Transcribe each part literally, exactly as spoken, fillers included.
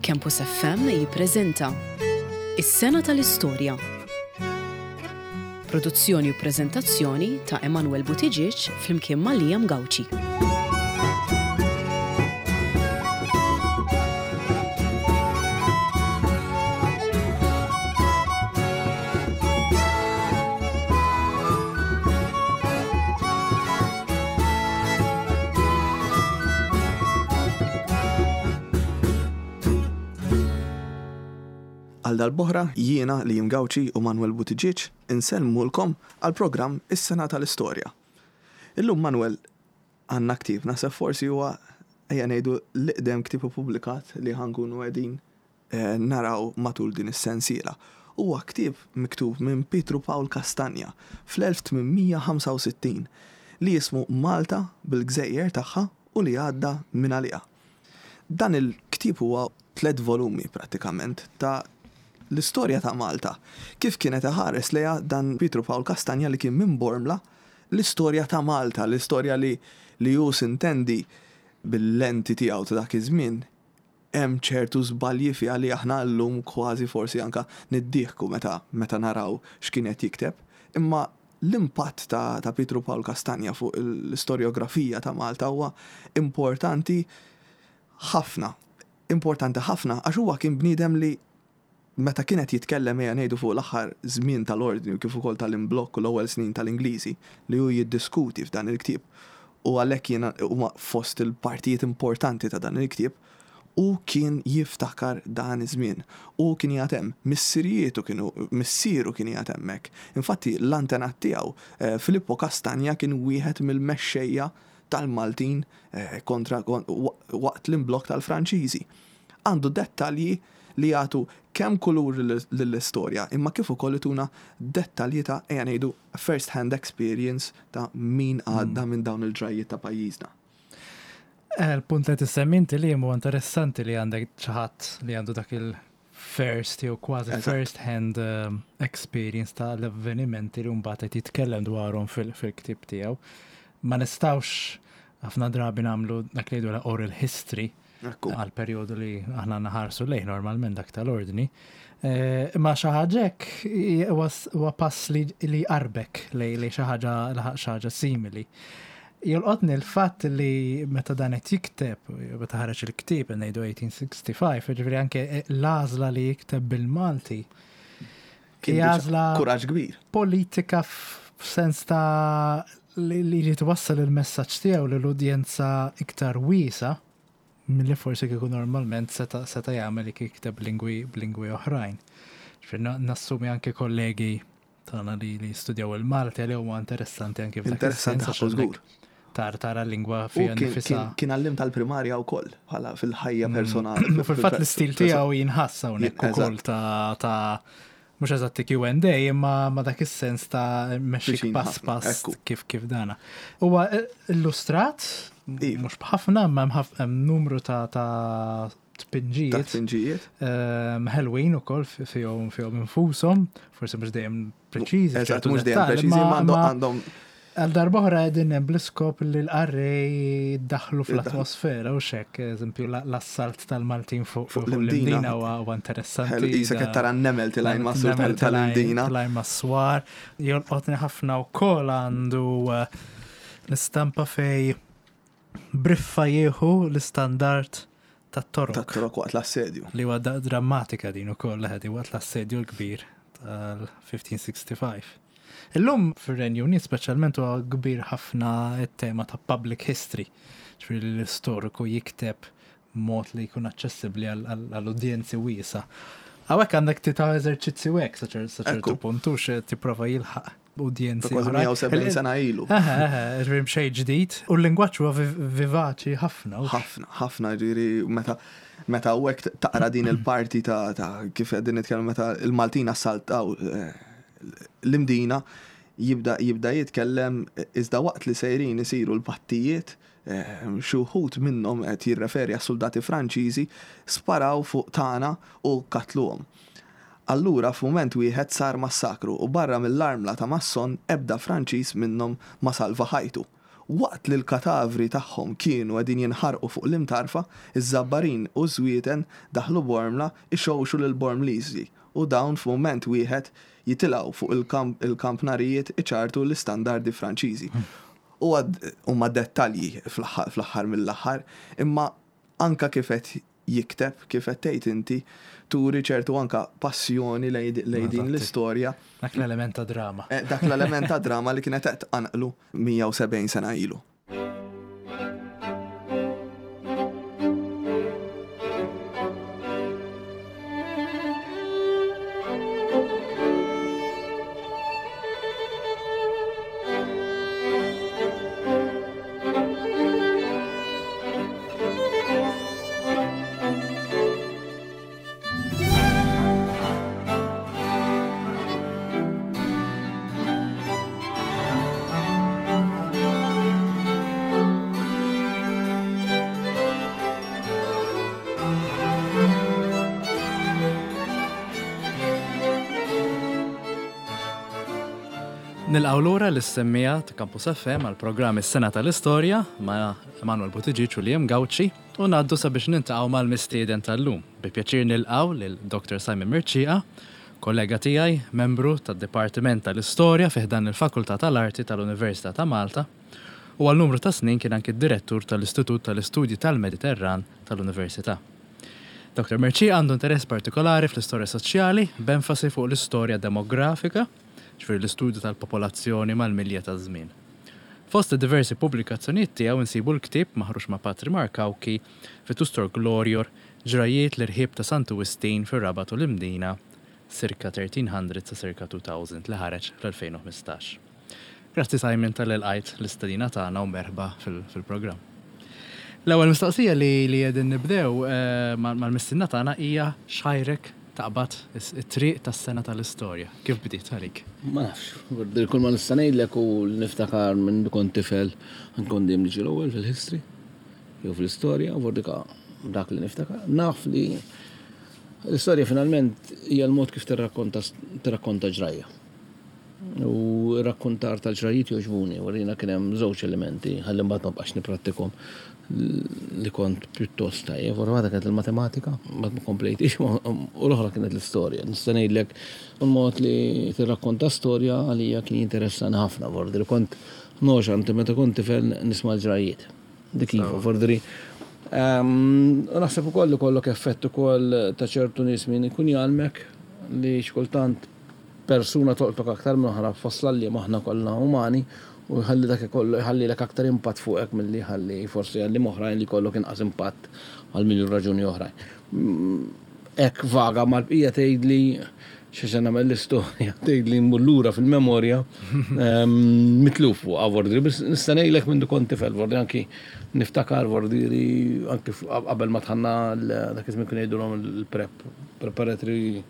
Campus F M jippreżenta Is-Sena tal-Istorja. Produzzjoni u preżentazzjoni ta' Emanuel Buttigieg flimkien ma' Liam Gauci. Għal darb'oħra jiena, Liam Gauci u Manuel Buttigieg insellmulkom għal programm Is-Sena tal-Istorja. Illum, Manuel, għandna ktieb, naħseb forsi huwa, ejja ngħidu, l-iqdem ktieb ippubblikat li ħa nkunu qegħdin eh, naraw matul din is-sensiela. Huwa ktieb miktub minn Pietru Pawl Castagna fl-elf tmien mija ħamsa u sittin li jismu Malta bil-Gżejjer tagħha u li għadda minn għaliha. Dan il-ktieb huwa tliet volumi prattikament ta' l-istorja ta' Malta. Kif kienet iħares lejha dan Pietru Pawl Castagna li kien minn Bormla, l-istorja ta' Malta, l-istorja li li hu sintendi bil-lenti tiegħu ta' dak iż-żmien hemm ċertu żbalji fiha li aħna llum kważi forsi anka niddieħku meta meta naraw x'kien qed jikteb. Imma l-impatt ta', ta' Pietru Pawl Castagna fuq l-istorjografija ta' Malta huwa importanti ħafna. Importanti ħafna għax huwa kien bniedem li meta kienet jitkellem, ejja ngħidu, fuq l-aħħar żmien tal-ordni u kif ukoll tal-imblokk u l-ewwel snin tal-Ingliżi li hu jiddiskuti f'dan il-ktieb, u għalhekk jiena huma fost il-partijiet importanti ta' dan il-ktieb, u kien jiftakar dan iż-żmien. U kien jgħid hemm, missirietu kienu, missieru kien jgħid hemmhekk. Infatti l-antenat tiegħu, eh, Filippo Castagna, kien wieħed mill-mexxejja tal-Maltin eh, kontra waqt l-imblokk tal-Franċiżi. Għandu dettalji li jagħtu kemm kulur lill-istorja, imma kif ukoll ituna dettalji ta', ejja ngħidu, first hand experience ta' min għadda mm. minn dawn il-ġrajiet ta' pajjiżna. Eh, il-punt li tissemmi inti li huwa interessanti li għandek xi ħadd li għandu dak il-first jew kważi first hand um, experience ta' l-avvenimenti li mbagħad qed jitkellem dwarhom fil-ktieb tiegħu. Ma nistgħux ħafna drabi nagħmlu dak li jgħidu oral history għal periodu li aħna naħarsu lejh normalment, dak tal-ordni. Eh, imma xi ħaġa hekk huwa pass li jqarrbek li xi ħaġa xi ħaġa simili. Jolqotni l-fatt li meta dan qed jikteb, meta ħareġ il-ktieb, ngħidu elf tmien mija ħamsa u sittin, ġifieri anke l-għażla li jikteb bil-Malti. Għażla kuraġġ kbir. Politika f'sens ta' li li twassal il-messaġġ tiegħu lill-udjenza iktar wiesa' milli forsi kieku normalment seta' seta' jagħmel jikteb lingwi b'lingwi oħrajn. Nassumi anke kollegi tagħna li li studjaw il-Malti li huwa interessanti anke f'dak. Interessanti ħafna żgur. Tar tara l-lingwa fiha nifisha. Kien għalliem tal-primarja wkoll bħala fil-ħajja mm. personali. Fil-fatt l-istil tiegħu jinħass hawnhekk ukoll ta' ta' mhux eżatti Q and A, imma ma dak is-sens ta' mexxik pass pass kif kif dana. Huwa illustrat, Iva. mhux b'ħafna, imma hemm numru ta' ta' tpinġijiet. Ta' tpinġijiet. Ehm, Ħelwin ukoll fihom fihom infushom, forsi mhux dejjem preċiżi. Eżatt, mhux dejjem preċiżi, ma għandhom Għal darb'oħra qegħdin hemm bl-iskop li l-qarrej daħlu fl-atmosfera u xek, eżempju, l-assalt tal-Maltin fuq fuq l-Imdina huwa interessanti. Qisek qed tara n-nemel tilgħin mas-sur tal-Imdina. Tilgħin mas-swar. Jolqotni ħafna wkoll għandu eh, l-istampa fej briffa jieħu l-istandard tat-Torok. Tat-Torok waqt l-assedju. Li huwa drammatika din ukoll ħedi waqt l-assedju l-kbir tal-elf tmien mija ħamsa u sittin. Illum fir-Renju Unit speċjalment huwa kbir ħafna it-tema ta' public history. Ġifieri l-istoriku jikteb mod li jkun aċċessibbli għall-udjenzi wiesa. Hawnhekk għandek tita eżerċizzju hekk sa ċertu punt hux tipprova jilħaq udjenzi. Kważi mija u sebgħin sena ilu. Ġifieri xejn ġdid. U l-lingwaġġ huwa vivaċi ħafna. Ħafna, ħafna, ġifieri meta meta u taqra din il-parti ta' kif qegħdin nitkellmu meta il-Maltin assaltaw eh, l-Imdina, jibda jibda jitkellem: iżda waqt li sejrin isiru l-pattijiet, eh, xi wħud minnhom, qed jirreferi għas soldati Franċiżi, sparaw fuq tagħna u katluhom. Allura f'mument wieħed sar massakru u barra mill-armla ta' Masson ebda Franċiż minnhom ma salva ħajtu. Waqt li l-katavri tagħhom kienu qegħdin jinħarqu fuq l-Imtarfa, iż-Żabbarin u Żwieten daħlu Bormla ixewxu lil Bormliżi u dawn f'mument wieħed jitilgħu fuq il-kampnarijiet iċartu l-istandardi Franċiżi. U huma dettalji fl-aħħar mill-aħħar, imma anka kif qed jikteb, kif qed tgħid inti, turi ċertu anka passjoni lejn din l-istorja. Dak l-element ta' drama. Dak l-element ta' drama li kienet qed tqanqlu mija u sebgħin sena ilu. Nilqgħu lura lis-semmija ta' Campus F M għall-programm Is-Sena tal-Istorja ma' Emanuel Buttigieg u Liam Gauci u ngħaddu sabiex nintaqgħu mal-mistieden tal-lum. Bi pjaċir nilqgħu lil Doctor Simon Mercieca, kollega tiegħi, membru tad-Dipartiment tal-Istorja fi ħdan il-Fakultà tal-Arti tal-Università ta' Malta u għal numru ta' snin kien anki d-direttur tal-Istitut tal-Istudji tal-Mediterran tal-Università. Doctor Mercieca għandu interess partikolari fl-istorja soċjali b'enfasi fuq l-istorja demografika, ġifieri l-istudju tal-popolazzjoni mal-milja taż-żmien. Fost diversi pubblikazzjonijiet tiegħu insibu l-ktieb maħruġ ma' Patri Mark Cauchi Vetustor Glorior, ġrajiet l-irħib ta' Santu Wistin fir-Rabat u l-Imdina circa thirteen hundred sa circa two thousand li ħareġ fl-elfejn u ħmistax. Grazzi Simon tal-li lqajt l-istedina tagħna u merħba fil-programm. L-ewwel mistoqsija li, li qegħdin nibdew, eh, mal-mistiedna tagħna hija x'ħajrek taqbad it-triq tas-sena tal-istorja. Kif bdiet għalik? Ma nafx, kull ma nista' ngħidlek u niftakar minn kont tifel nkun dejjem niġi l-ewwel fil-history jew fl-istorja, u dika dak li niftakar. Naf li l-istorja finalment hija l-mod kif tirrakkonta, tirrakkonta ġrajja. U r-rakkontar tal-ġrajiet jogħġbuni, u rina kien hemm żewġ elementi, ħalli mbagħad ma bqax nipprattikhom li kont pjuttost tajjeb. Forsi waħda kienet il-matematika, mbagħad ma komplejtix, u l-oħra kienet l-istorja. Nista' ngħidlek il-mod li tirrakkonta storja għalija kien jinteressani ħafna, vordi li kont noxa anti meta kont tifel nisma' l-ġrajiet. Dik iva, vordi. U naħseb ukoll li kollok effett ukoll ta' ċertu nies min ikun jgħallmek li xkultant persuna tolqtok aktar minn oħra fosla li aħna kollha umani u jħalli dak ikollu, jħalli lek aktar impatt fuqek milli jħalli forsi jħalli oħrajn li jkollok inqas impatt għal miljun raġuni oħrajn. Hekk vaga mal-bqija tgħidli xi se nagħmel l-istorja, tgħidli mmur lura fil-memorja, mitluf fuq vordi, biss nista' ngħidlek minn kont tifel, vordi anki niftakar vordi anki qabel ma tħanna dak iż-żmien kienu jgħidulhom il-prep, preparatory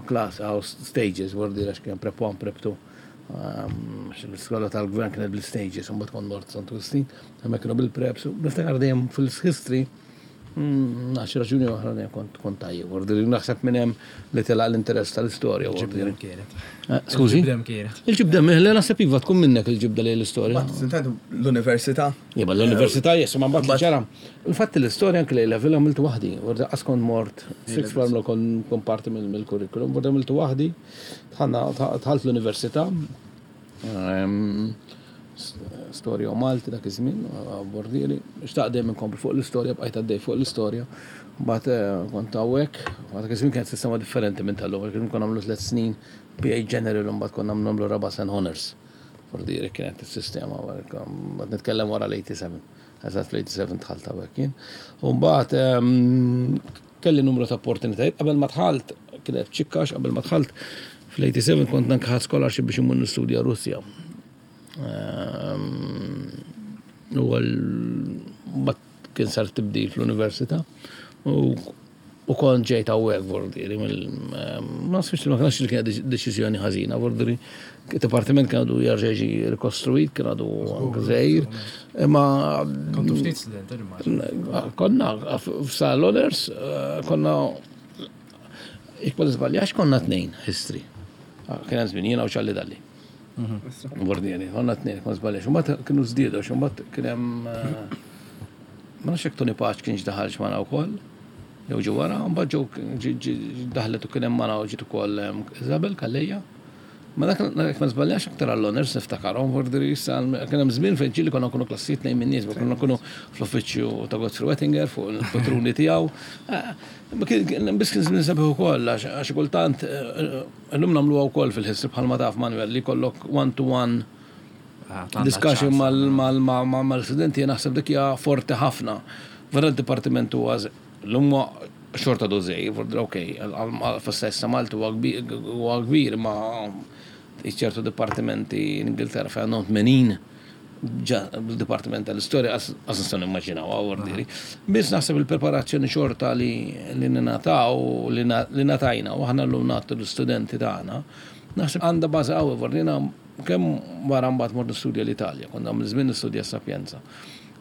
class, house stages, vordi għax kien prep one, prep two. L-iskola tal-gvern kienet bil-stages, mbagħad kont mort Santu Wistin, hemmhekk kienu bil-preps, u niftakar dejjem fil-history, għax raġuni oħra dejjem kont, kont tajjeb, vordi li naħseb minn hemm li telaq l-interess tal-istorja, vordi li. Il-ġibda kienet. Skużi? Il-ġibda kienet. Il-ġibda, le naħseb iva tkun minnek il-ġibda lejn l-istorja. Ma tintendu l-università? Iva, l-università, jessu, ma mbagħad ġara. Infatti l-istorja anke lejn level għamiltu waħdi, vordi qas kont mort sixth form kont, kont parti mill-curriculum, vordi għamiltu waħdi, dħalt l-università. Storja u Malti dak iż-żmien, bordieri, xtaq dejjem inkompli fuq l-istorja, bqajt għaddej fuq l-istorja. Mbagħad kont hawnhekk, mbagħad dak iż-żmien kienet sistema differenti minn tal-lum, kien konna nagħmlu tliet snin P A General u mbagħad konna nagħmlu raba' sen honors. Bordieri kienet is-sistema, mbagħad nitkellem wara l-eighty-seven. Eżatt fl-eighty-seven dħalt hawnhekk jien. U mbagħad kelli numru ta' opportunitajiet qabel ma dħalt, kienet ċikkax qabel ma dħalt fl-eighty-seven kont anke ħadt scholarship biex immur nistudja Russja. U għal mbagħad kien sar tibdil fl-università u, u kont ġejt hawnhekk vordieri mill-, ma nafx li ma kienx li kienet deċiżjoni ħażina, vordieri id-dipartiment kien għadu jerġa' jiġi rikostruit, kien għadu anke żgħir. Imma Kontu ftit studenti, immaġinu. Konna f'sal honors, konna jekk ma niżbaljax konna tnejn history. Kien hemm żmien jiena u Ċalli Dalli. Vordieri, konna tnejn, ma żbaljax. Mbagħad kienu żdiedu, mbagħad kien hemm eh, ma nafx jekk Tony Pace kienx daħalx magħna wkoll. Jew ġi wara, mbagħad ġew ġi- ġi- daħlet u kien hemm magħna u ġiet ukoll em, Isabel Calleja. Ma dak dak ma żbaljax aktar għall-honors niftakarhom, vordieri issa kien hemm żmien fejn ġieli konna nkunu klassijiet tnejn min-nies, ma konna nkunu fl-uffiċċju ta' Godfrey Wettinger fuq il-patruni tiegħu. Eh, ma kien- kien- Biss kien żmien sabiħ ukoll għax għax kultant eh, illum nagħmluha wkoll fil-history bħalma taf Manuel li jkollok one to one discussion mal-studenti naħseb dik hija forti ħafna. Vera d-dipartiment huwa l-lum xorta dożej, ok, fis-sess Malti huwa kbir, huwa kbir ma ċertu dipartimenti in Ingilterra fejn għandhom tmenin ġa dipartiment tal-istorja għas nistgħu nimmaġinaw għawardiri. Biss naħseb il-preparazzjoni xorta li li ningħataw li na- li ngħatajna u aħna llum nagħtu l-istudenti tagħna, naħseb għandha bażi qawwi vorrina kemm wara mbagħad mort nistudja l-Italja, kont għamil żmien nistudja Sapienza.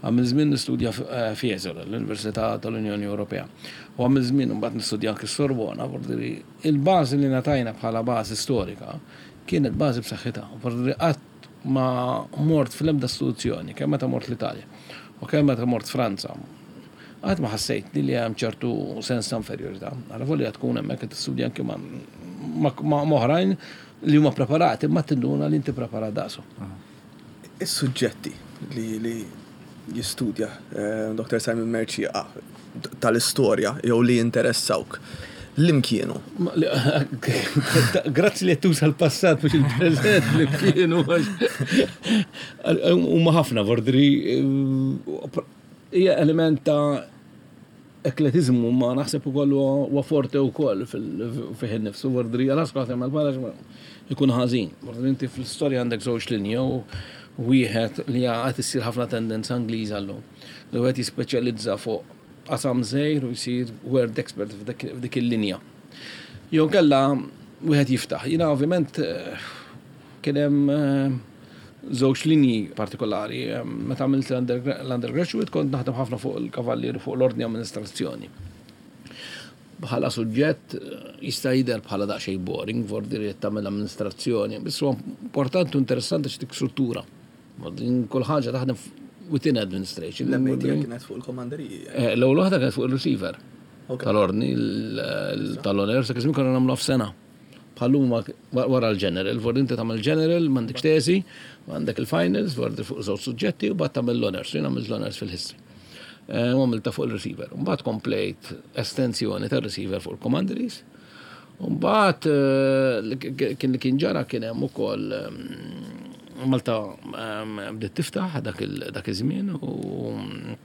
Għamil żmien nistudja Fiesole, l-Università tal-Unjoni Ewropea. U għamil żmien mbagħad nistudja anke Sorbona, vorriri il-bażi li ngħatajna bħala bażi storika kienet bażi b'saħħitha. Vorriri qatt ma mort fl-ebda istituzzjoni, kemm meta mort l-Italja u kemm meta mort Franza. Qatt ma ħassejt li hemm ċertu sens ta' inferjorità. Għala volja tkun hemmhekk qed tistudja anke ma' ma' ma' oħrajn li huma preparati, ma tinduna li inti preparat daqsu. Is-suġġetti li, li jistudja eh, Dottor Simon Mercieca tal-istorja jew li jinteressawk, li kienu? Ma- li- Grazzi li tuża l-passat mhux il-preżent li kienu. Huma ħafna vordri hija element ta' ekletizmu ma naħseb ukoll huwa forte wkoll fih innifsu vordri għal skont mal bħala ikun ħażin. Vordri inti fl-istorja għandek żewġ linji u wieħed li għad issir ħafna tendenza Ingliża llum. Li wieħed jispeċjalizza fuq qasam żgħir u jsir world expert f'dik f'dik il-linja. Jew kella wieħed jiftaħ. Jiena ovvjament eh, kien hemm eh, żewġ linji partikolari. Eh, Meta għamilt l-undergraduate kont naħdem ħafna fuq il-kavallieri fuq l-ordni amministrazzjoni. Bħala suġġett eh, jista' jidher bħala daqsxejn boring, vordi tagħmel amministrazzjoni, biss huwa importanti u interessanti x'dik struttura. Din kull ħaġa taħdem within administration. L-M A kienet fuq il-komanderiji. Eh, L-ewwel waħda kienet fuq il-receiver Ok. tal-ordni tal-honor, sa kizmi konna nagħmlu f'sena. Bħalluma wara l-general, vordi inti tagħmel general, m'għandekx tesi, għandek il-finals, vordi fuq żewġ suġġetti u mbagħad tagħmel l-honors, jien għamilt l-honors fil-history. Eh, U għamilta fuq il-receiver. Mbagħad komplejt estensjoni tar-receiver fuq il-commanderies. Mbagħad eh, li kien li kien ġara kien hemm ukoll ehm, Malta ehm, bdiet tiftaħ dak il- dak iż-żmien u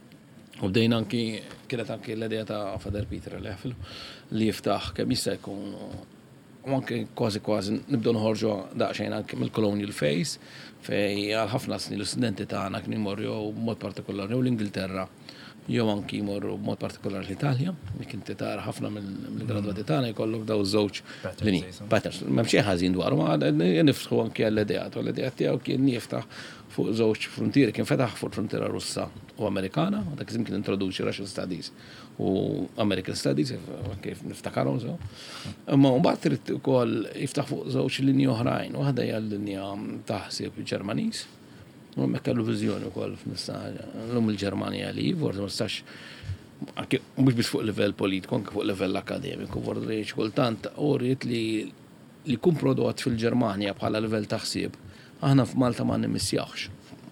U bdejna anki, kienet anki l-idea ta' Father Peter li ħafil li jiftaħ kemm jista' jkun u anke kważi kważi nibdew noħorġu daqsxejn anke mill-colonial phase fej għal ħafna snin l-istudenti tagħna kienu jmorru jew b'mod partikolari jew l-Ingilterra jew anki jmorru b'mod partikolari l-Italja, li kien tara ħafna mill-gradwati tagħna jkollok daw żewġ Patterns, linji. jisom. Patterns, m'hemm xejn ħażin dwaru, ma nifsħu anki għall-idea, u l-idea tiegħu kien jiftaħ fuq żewġ frontieri, kien fetaħ fuq frontiera Russa u Amerikana, u dak iż-żmien kien introduċi Russian Studies u American Studies, kif niftakarhom so. Imma mbagħad trid ukoll jiftaħ fuq żewġ linji oħrajn, waħda hija l-linja ta' ħsieb Ġermaniż, u hemmhekk kellu viżjoni wkoll f'nista' llum il-Ġermanja li forsi ma nistax anke mhux biss fuq livell politiku, anke fuq livell akademiku, forsi xi kultant uriet li li jkun prodott fil-Ġermanja bħala livell ta' ħsieb, aħna f'Malta ma nimmissjawx.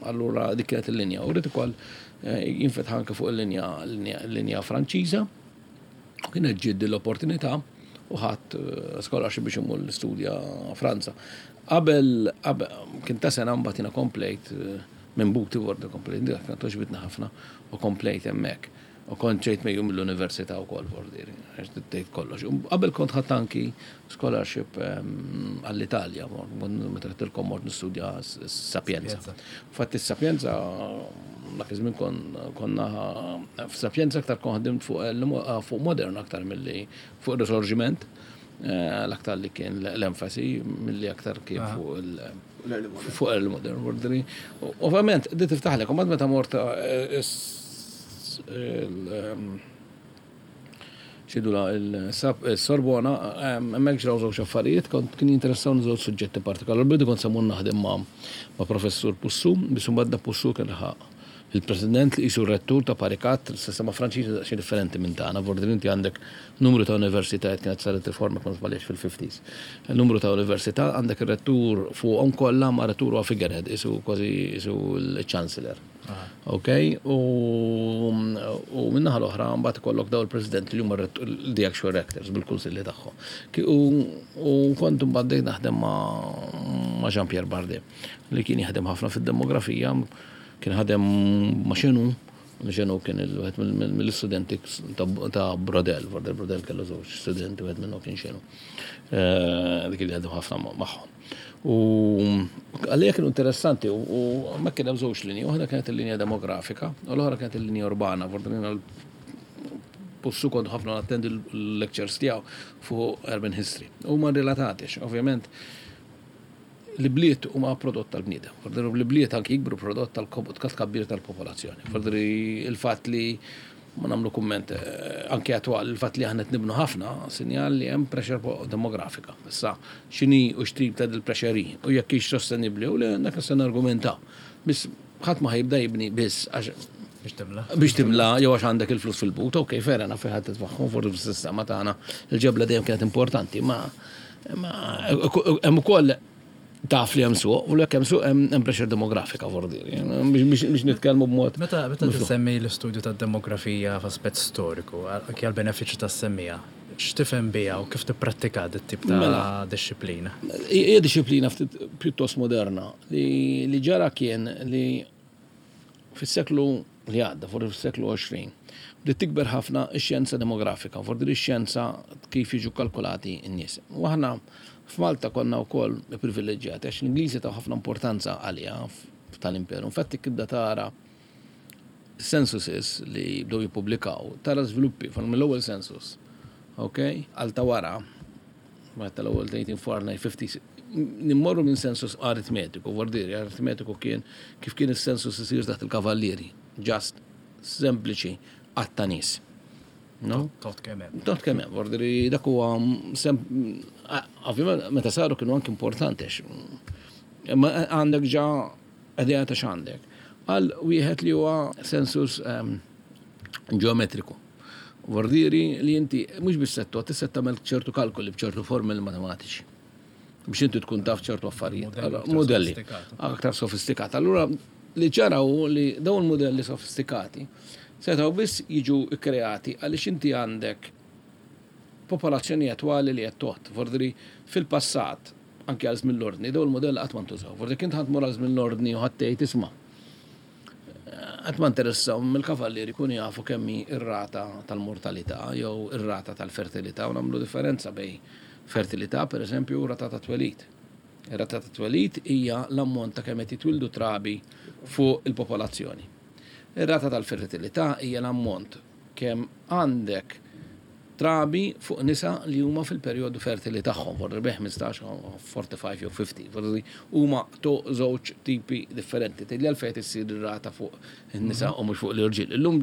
Allura dik kienet il-linja. U rrid ukoll eh, jinfetaħ anke fuq il-linja l-linja Franċiża. U kienet ġiet l-opportunità u ħadd eh, scholarship biex imur l-istudja Franza. Qabel, qabel kien ta' sena mbagħad jiena komplejt eh, minn buti vorda komplejt, dik kienet għoġbitna ħafna u komplejt hemmhekk. U kont ġejt mejju mill-università wkoll vordir, għax tgħid kollox. U qabel kont ħadd anki scholarship ehm, għall-Italja, meta għedtilkom mort nistudja s- Sapienza. Sapienza. Fatt is-Sapienza dak iż-żmien kon konna f'Sapienza aktar kon ħdimt fuq il- fuq modern aktar milli fuq il-Risorgiment, eh, l-aktar li kien l-enfasi milli aktar kien fuq il- fuq il-modern vordri. Ovvjament, di tiftaħlek, u meta mort eh, is- il- ehm, Ċidula il-Sorbona, hemmhekk ġraw żewġ affarijiet, kont kien jinteressawni żewġ suġġetti partikolari. Bidu kont se mmur naħdem ma' ma' professur Poussu, biss imbagħad da Poussu kien laħaq il-president li qisu rettur ta' Paris Quatre, sistema Franċiża daqsxejn differenti minn tagħna, vordi inti għandek numru ta' universitajiet, kienet saret riforma kont żbaljat fil-fifties. Numru ta' università, għandek ir-rettur fuqhom kollha, ma' rettur huwa figurehead, qisu kważi qisu l-chancellor. Ok, u, u minnaħa l-oħra mbagħad ikollok daw il-president li huma the actual rectors bil-kunsilli tagħhom. U, u kont mbagħad bdejt naħdem ma' ma' Jean-Pierre Bardet li kien jaħdem ħafna fid-demografija, kien ħadem ma' Chenu, Chenu kien il-wieħed mill-istudenti ta' Braudel, Braudel Braudel kellu żewġ studenti, wieħed minnhom kien Chenu. Dik li ħadem ħafna magħhom. U għalija kienu interessanti u ma kien hemm żewġ linji, waħda kienet il-linja demografika u l-oħra kienet il-linja urbana. Fortunina Poussu kont ħafna nattendi l-lectures tiegħu fuq urban history. Huma relatati, ovvjament l-bliet huma prodott tal-bniedem. Fordri l-bliet anki jikbru prodott tal-tkabbir tal-popolazzjoni. Fordri il-fatt li ma nagħmlu kumment anke attwal, il-fatt li aħna qed nibnu ħafna sinjal li hemm pressure demografika. Issa x'inhi u x'tip ta' dil-pressure u jekk hix sostenibbli u le, dak se nargumentaw. Biss ħadd ma ħajibda jibni biss għax biex timla. Biex timla, jew għax għandek il-flus fil-but, ok, fair enough, fejn ħadd titfaħħom, forsi fis-sistema tagħna il-ġebla dejjem kienet importanti, ma hemm ukoll taf li hemm suq, u jekk hemm suq hemm pressure demografika vordiri, biex nitkellmu b'mod. Meta meta tissemmi l-istudju tad-demografija f'aspett storiku, anke għall-benefiċċju tas-semmija, x'tifhem biha u kif tipprattika dit tip ta' Mela. disċiplina? Hija disċiplina ftit pjuttost moderna li li ġara kien li fis-seklu li għadda, forsi fis-seklu għoxrin, bdiet tikber ħafna x-xjenza demografika, forsi x-xjenza kif jiġu kalkulati n-nies. U aħna f'Malta konna wkoll privileġġjati għax l-Ingliżi taw ħafna importanza għaliha tal-imperu. Infatti tibda tara censuses li bdew jippubblikaw, tara żviluppi mill-ewwel census, ok? Għal ta' wara, ma tal-ewwel eighteen forty-nine, fifty, nimmorru minn census aritmetiku, vordiri, aritmetiku kien kif kien is-census isir taħt il-kavallieri, just sempliċi għadd ta' nies. No? Tot kemm hemm. Tot kemm hemm, vordiri dak huwa sem, ovvjament meta saru kienu anki importanti għax, imma għandek ġa idea ta' x'għandek. Għal wieħed li huwa census, ehm, ġeometriku. Vordiri li inti mhux biss settu, tista' tagħmel ċertu kalkoli b'ċertu formuli matematiċi biex inti tkun taf ċertu affarijiet. Modelli Allora, aktar modelli sofistikati. aktar sofistikati. Allura li ġara hu li dawn il-modelli sofistikati setgħu biss jiġu kkreati għaliex inti għandek popolazzjoni attwali li qed toħod. Vordiri fil-passat anke għal żmien l-ordni, dawn il-modelli qatt ma ntużaw. Vordiri kien ħadd mur għal żmien l-ordni u ħadd tgħid isma'. Qatt ma interessaw mill-kavallieri jkunu jafu kemm hi r-rata tal-mortalità jew ir-rata tal-fertilità u nagħmlu differenza bejn fertilità per eżempju u rata ta' twelid. Ir-rata ta' twelid hija l-ammont ta' kemm qed jitwildu trabi fuq il-popolazzjoni. Ir-rata tal-fertilità hija l-ammont kemm għandek trabi fuq nisa li huma fil-perjodu fertili tagħhom, forsi bejn ħmistax, forty-five jew fifty, forsi huma to żewġ tipi differenti. Tgħidli għalfejn issir ir-rata fuq in-nisa u mhux fuq l-irġiel. Illum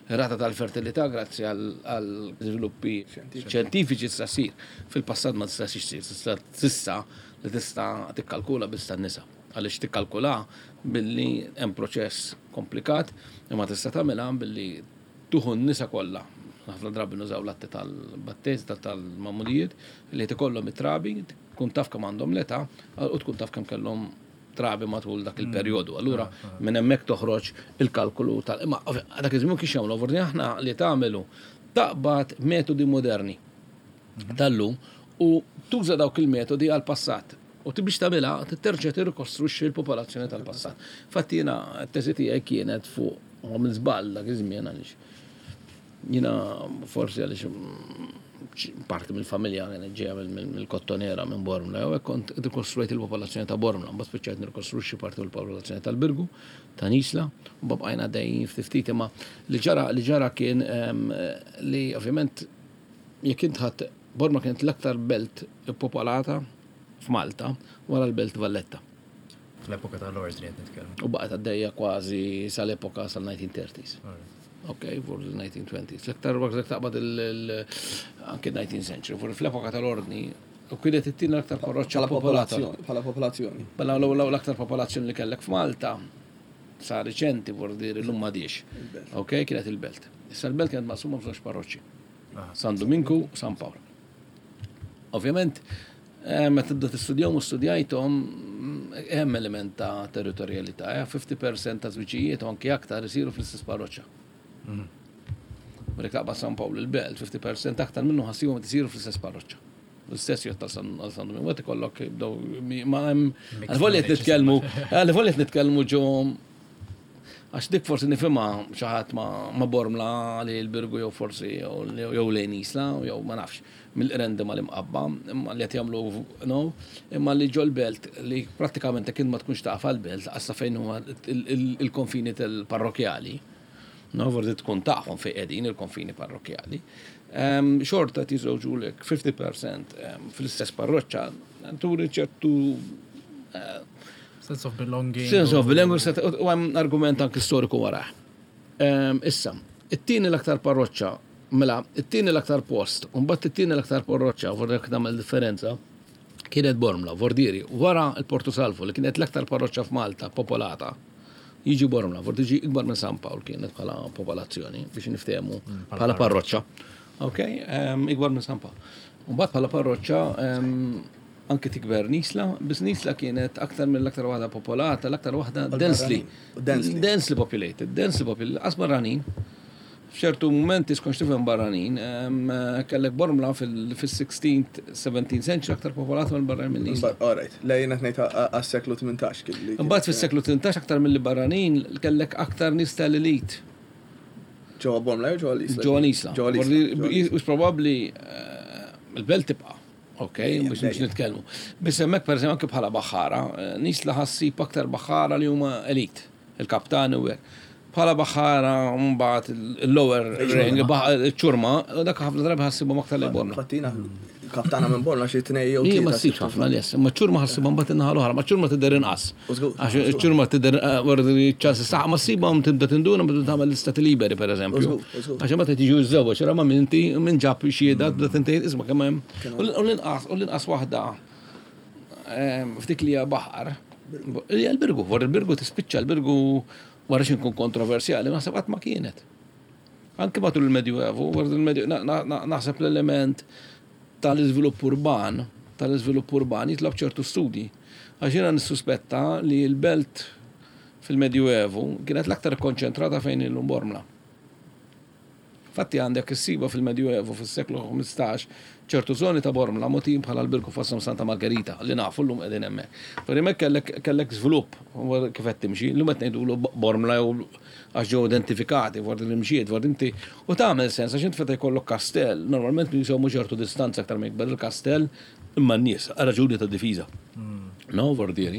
ir-rata tal-fertilità grazzi għal żviluppi xjentifiċi tista' ssir. Fil-passat ma tistax issir, tista' s'issa li tista' tikkalkula biss tan-nisa. Għaliex tikkalkula billi hemm proċess komplikat, imma tista' tagħmilha billi tuħu n-nisa kollha. Ħafna drabi nużaw l-atti tal-batteż, tal-mamulijiet, li tikollhom it-trabi, tkun taf kemm għandhom l-età u tkun taf kemm kellhom trabi matul dak il-perjodu. Allura minn hemmhekk toħroġ il-kalkolu tal-, imma ovvja, dak iż-żmien kif jagħmlu, forsi aħna li tagħmlu taqbad metodi moderni tal-lum u tuża dawk il-metodi għal-passat. U ti biex tagħmilha terġa' tirrikostruxxi l-popolazzjoni tal-passat. Fatti jiena t-teżi tiegħi kienet fuq għamil żball dak iż-żmien għaliex jiena forsi għaliex parti mill-familja kienet ġejja mill-Kottonera minn Bormla, jew hekk kont rikostruejt il-popolazzjoni ta' Bormla, mbagħad spiċċajt nirkostruxxi parti mill-popolazzjoni tal-Birgu, ta' Nisla, u mbagħad bqajna dejjin ftit ftit, imma li ġara, li ġara kien, ehm, li ovvjament jekk int ħadd Bormla kienet l-aktar belt popolata f'Malta wara l-Belt Valletta. Fl-epoka tal-ordni qed nitkellmu. U baqgħet għaddejja kważi sal-epoka sal-nineteen thirties. Ok, for the nineteen twenties. L-aktar waqt taqbad il- anke nineteenth century, for fl-epoka tal-ordni, u kienet it-tieni l-aktar parroċċa Bħala popolata. popolazzjoni. Bħala popolazzjoni. Bella l l-aktar popolazzjoni li kellek f'Malta sa reċenti, vor dir l-lum m'għadhiex. Ok, kienet il-belt. Issa l-belt kienet maqsuma f'żewġ parroċċi. San Dominku u San Pawl. Ovvjament, eh, meta tibda tistudjahom u studjajthom, mm, hemm element ta' territorjalità, eh, fifty percent ta' żwiġijiet u anke aktar isiru fl-istess parroċċa. Meta taqbad San Pawl il-Belt, fifty percent aktar minnu ħa ssibhom isiru fl-istess parroċċa. L-istess jgħod ta' San għal San Domingo, għet ikollok jibdew ma hemm għal-volja qed nitkellmu, għal-volja qed nitkellmu ġo, għax dik forsi nifhimha xi ħadd ma ma Bormla li l-Birgu jew forsi jew jew lejn Isla jew ma nafx mill-Qrendi ma l-Imqabba imma li qed jagħmlu, no, imma li ġol belt li prattikament kien ma tkunx taf għall-belt għassa fejn huma il-konfini tal-parrokjali. No, forsi tkun tafhom fejn qegħdin il-konfini parrokjali. Ehm, Xorta tiżewġulek fifty percent ehm, fl-istess parroċċa, turi ċertu eh, Sense of belonging. Sense of belonging, set- u hemm argument anki storiku warah. Ehm, Issa, it-tieni l-aktar parroċċa, mela, it-tieni l-aktar post, u mbagħad it-tieni l-aktar parroċċa, vorrek nagħmel differenza, kienet Bormla, Vordieri, wara il-Porto Salvo li kienet l-aktar parroċċa f'Malta popolata. Jiġi Bormla, vor tiġi ikbar minn San Pawl kienet bħala popolazzjoni, biex niftehmu bħala parroċċa. Ok, ehm, ikbar minn San Pawl. Mbagħad bħala parroċċa ehm, anke tikber Nisla, biss Nisla kienet aktar mill-aktar waħda popolata, l-aktar waħda densely. Densely. Densely populated, densely populated, qas barranin. F'ċertu momenti skonx tifhem barranin, em, kellek Bormla fil-sixteenth, seventeenth century aktar popolata mill barranin minn Nisla. All right, le jiena ngħid għas-seklu tmintax kien li. Imbagħad fis-seklu tmintax aktar mill barranin kellek aktar nies tal-elit Ġewwa Bormla jew ġewwa l-Isla? Ġewwa Nisla. Ġewwa l-Isla. Is probabbli eh, il-belt tibqa'. Ok, biex biex nitkellmu. Biss hemmhekk, pereżempju, anke bħala baħħara, eh, Nisla ħa ssib aktar baħħara li huma elit, il-kaptani u hekk. Bħala baħħara mbagħad il-lower rank, iċ-ċurma, dak ħafna drabi ħa ssibhom aktar li Bormla. Fattina, kaptana minn Bormla xi tnej jew Ija ma tlieta. ssibx ħafna nies, imma ċurma ħa ssibhom mbagħad in-naħa l-oħra, ma ċurma tidher inqas. U żgur. Għax ċurma tidher eh, wara ċ-ċansi saħ, ma ssibhom tibda tinduna meta tagħmel l-istati liberi, pereżempju. U żgur, u żgur. Għax imbagħad qed jiġu żewġ, ra ma minn inti minn ġab xhieda, tibda tintejn isma' kemm hemm. U l-inqas u l-inqas waħda ehm, f'dik li hija baħar. Hija l-Birgu, wara l-Birgu tispiċċa l-Birgu, wara xi nkun kontroversjali, naħseb qatt ma kienet. Anke matul il-Medjuevu, wara il-Medju, na- na- na- naħseb l-element tal-iżvilupp urban, tal-iżvilupp urban jitlob ċertu studi. Għax jiena nissuspetta li l-belt fil-Medjuevu kienet l-aktar konċentrata fejn illum Bormla. Fatti għandek issiba fil-Medjuevu fis-seklu ħmistax ċertu zoni ta' Bormla mogħtijin bħala l-Birgu, fosthom Santa Margherita li nafu llum qegħdin hemmhekk. Per hemmhekk kellek kellek żvilupp wara kif qed timxi, llum qed ngħidulu Bormla jew għax ġew identifikati wara li mxiet, wara inti u tagħmel sens għax int meta jkollok kastell, normalment jisommu ċertu distanza aktar ma jikber il-kastell imma n-nies għal raġuni ta' difiża. No, vordieri.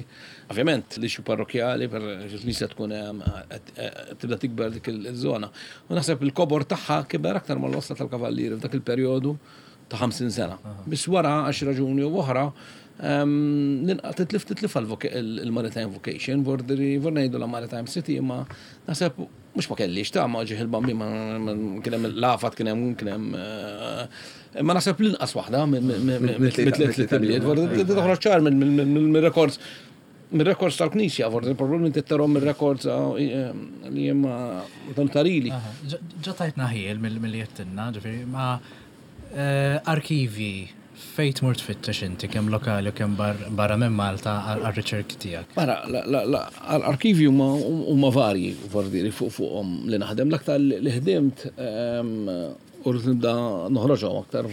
Ovvjament, li xi parrokjali per nisa tkun hemm, qed- qed tibda tikber dik il-żona. U naħseb il-kobor tagħha kiber aktar mal-wasla tal-kavallieri f'dak il-perjodu ta' ħamsin sena. Biss wara għax raġuni u oħra ehm, ninqa- titlif titlif il-maritime vocation, vordiri, vor ngħidu la maritime city, imma naħseb mhux ma kellix ta' ma ġieħ il-bambi ma ma- kien hemm l-afat, kien hemm kien hemm eh, imma naħseb l-inqas waħda mit-tliet li tibniet, toħroġ ċar mill-records mir-records tal-Knisja, forsi problemi tittarhom mir-records eh, li jemma tarili. Aha, ġa- Ġa tajtna ħiel mill-li jettinna, ġifieri, ma eh, arkivi fejn tmur tfittex inti, kemm lokali u kemm bar- barra minn Malta għal-riċerki tiegħek? Mara, la, la, la, l-arkivi huma huma varji, vordiri fuq fuqhom li naħdem. L-aktar li ħdimt ehm, u rrid nibda noħroġhom aktar,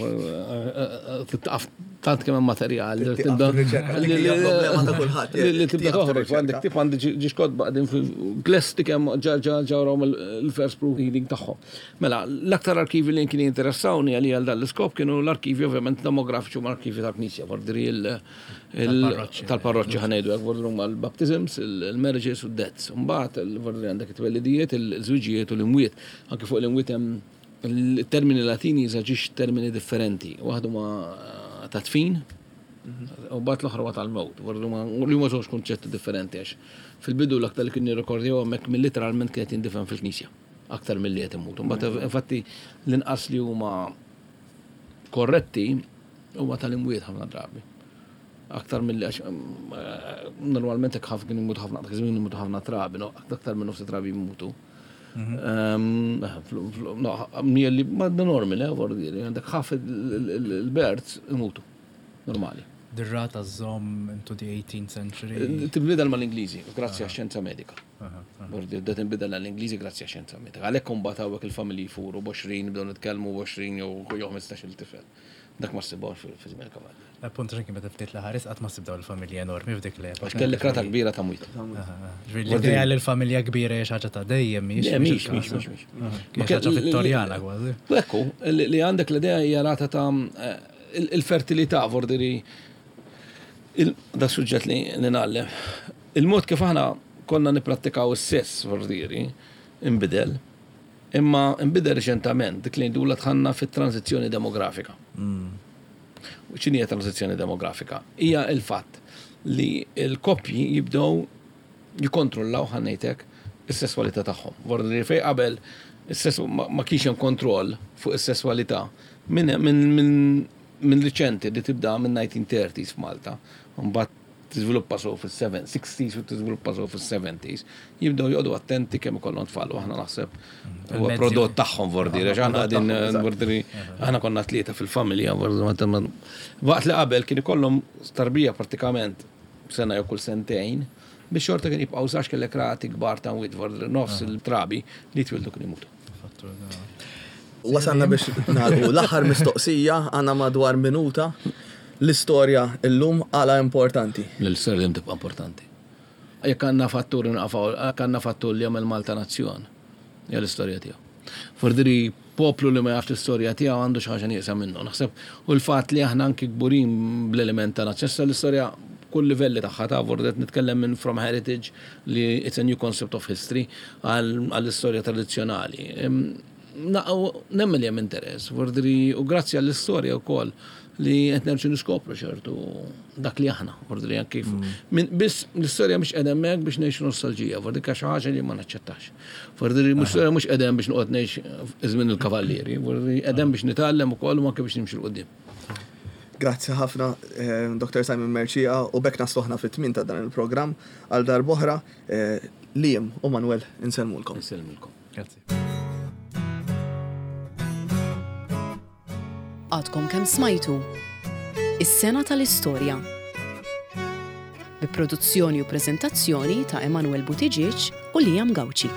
titqaf tant kemm hemm materjal li tibda Tieqaf dik hija problema ta' kulħadd, li li tibda tieqaf toħroġ tirriċerka. għandek tip għandi ġiex kotba qegħdin fil-glesti kemm ġa ġa ġawhom il-first proof reading tagħhom. Mela, l-aktar arkivi li kien jinteressawni għalija għal dan l-iskop kienu l-arkivi ovvjament demografiċi u l-arkivi tal-Knisja, vordiri il- Tal-parroċċi. tal-parroċċi ħa ngħidu hekk, vordiri huma l-baptisms, il-marriages u deaths. Mbagħad vordiri għandek it-twellidijiet, il-żwiġijiet u l-imwiet. Anke fuq l-imwiet hemm il-termini Latini jeżaġix termini differenti. Waħdu ma ta' tfin, U mbagħad l-oħra huwa tal-mewt. Li huma żewġ kunċetti differenti għax fil-bidu l-aktar li kien jirrekordjaw hemmhekk minn literalment kienet jindifen fil-knisja aktar milli qed imutu. Mbagħad infatti l-inqas li huma korretti huma tal-imwiet ħafna drabi. Aktar mill għax eh, normalment hekk ħafna kien imutu ħafna, dak iż-żmien imutu ħafna trabi, no, aktar minn nofs trabi jmutu. Ehm, fl- fl- no, Mielli, ma normali, eh, vorrei dire, għandek ħaf il-births imutu. Normali. Dir-rata żżomm into the eighteenth century. Tinbidel mal-Ingliżi, grazzi għax-xjenza medika. Vorrei dire, tinbidel għall-Ingliżi grazzi għax-xjenza medika. Għalhekk imbagħad hawnhekk il-familji jfuru b'għoxrin, bdew nitkellmu b'għoxrin jew jew ħmistax-il tifel. Dak ma ssibhomx fi żmien il-kavalli. Appunt xejn meta ftit l-ħares qatt ma ssib dawn il-familji enormi f'dik l-epoka. Għax kellek rata kbira ta' mwiet. Ġifieri l-idea li l-familja kbira hija xi ħaġa ta' dejjem mhix. Le, mhix, mhix, mhix, mhix. Ma xi ħaġa Vittorjana kważi. U ekku, li li għandek l-idea hija rata ta' eh, il- il-fertilità, vordiri, il- da suġġett li li ngħallem. Il-mod kif aħna konna niprattikaw is-sess, vordiri, imbidel, imma imbidel reċentament, dik li ndula dħalna fit-tranzizzjoni demografika. U x'inhi hija tranzizzjoni demografika? Hija il-fatt li l-koppji jibdew jikontrollaw, ħa ngħidlek, is-sesswalità tagħhom. Vordi fej qabel is-sess ma ma kienx hemm kontroll fuq is-sesswalità minn min, min, min riċenti li tibda minn nineteen thirties f'Malta, mbagħad tiżviluppa so fis-sixties u tiżviluppa so fis-seventies, jibdew joqogħdu attenti kemm ikollhom tfal u aħna naħseb huwa Il-mezzi. Prodott tagħhom, vordiri, għax aħna qegħdin Tagħhom, eżatt. vordiri aħna konna tlieta fil-familja, vordiri, ma- ma- waqt li qabel kien ikollhom tarbija pratikament sena jew kull sentejn, biex xorta kien jibqgħu sax kellek rati kbar ta' mwiet, vordiri nofs il-trabi li twildu kien imutu. Wasalna biex nagħlqu l-aħħar mistoqsija, għandna madwar minuta. L-istorja illum għala importanti? L-istorja dejjem tibqa' importanti. Jekk għandna fattur naqfaw, jekk għandna fattur li jagħmel Malta nazzjon, hija l-istorja tiegħu. Fordiri poplu li ma jafx l-istorja tiegħu għandu xi ħaġa nieqsa minnu. Naħseb u l-fatt li aħna anki kburin bl-element ta' nazzjon, issa l-istorja kull livelli tagħha ta' vordet nitkellem minn from heritage li it's a new concept of history għall-istorja tradizzjonali. Em, na- u Nemmen li hemm interess, vordiri, u grazzi għall-istorja wkoll li qed nerġgħu niskopru ċertu dak li aħna, vordiri anki kif. Min biss l-istorja mhux qiegħda hemmhekk biex ngħixu nostalġija, vordiri xi ħaġa li ma naċċettax. Vordiri l-istorja mhux qiegħda hemm biex noqgħod ngħix żmien il-kavallieri, vordiri qiegħda hemm biex nitgħallem ukoll u anke biex nimxu 'l quddiem. Grazzi ħafna, eh, Doktor Simon Mercieca, u b'hekk naslu aħna fit-tmiem ta' dan il-programm għal darb'oħra, eh, Liam u Manuel insellmulkom. Insellmilkom. Grazzi. Għadkom kemm smajtu Is-sena tal-istorja. Bi produzzjoni u prezentazzjoni ta' Emanuel Buttigieg u Liam Gauci.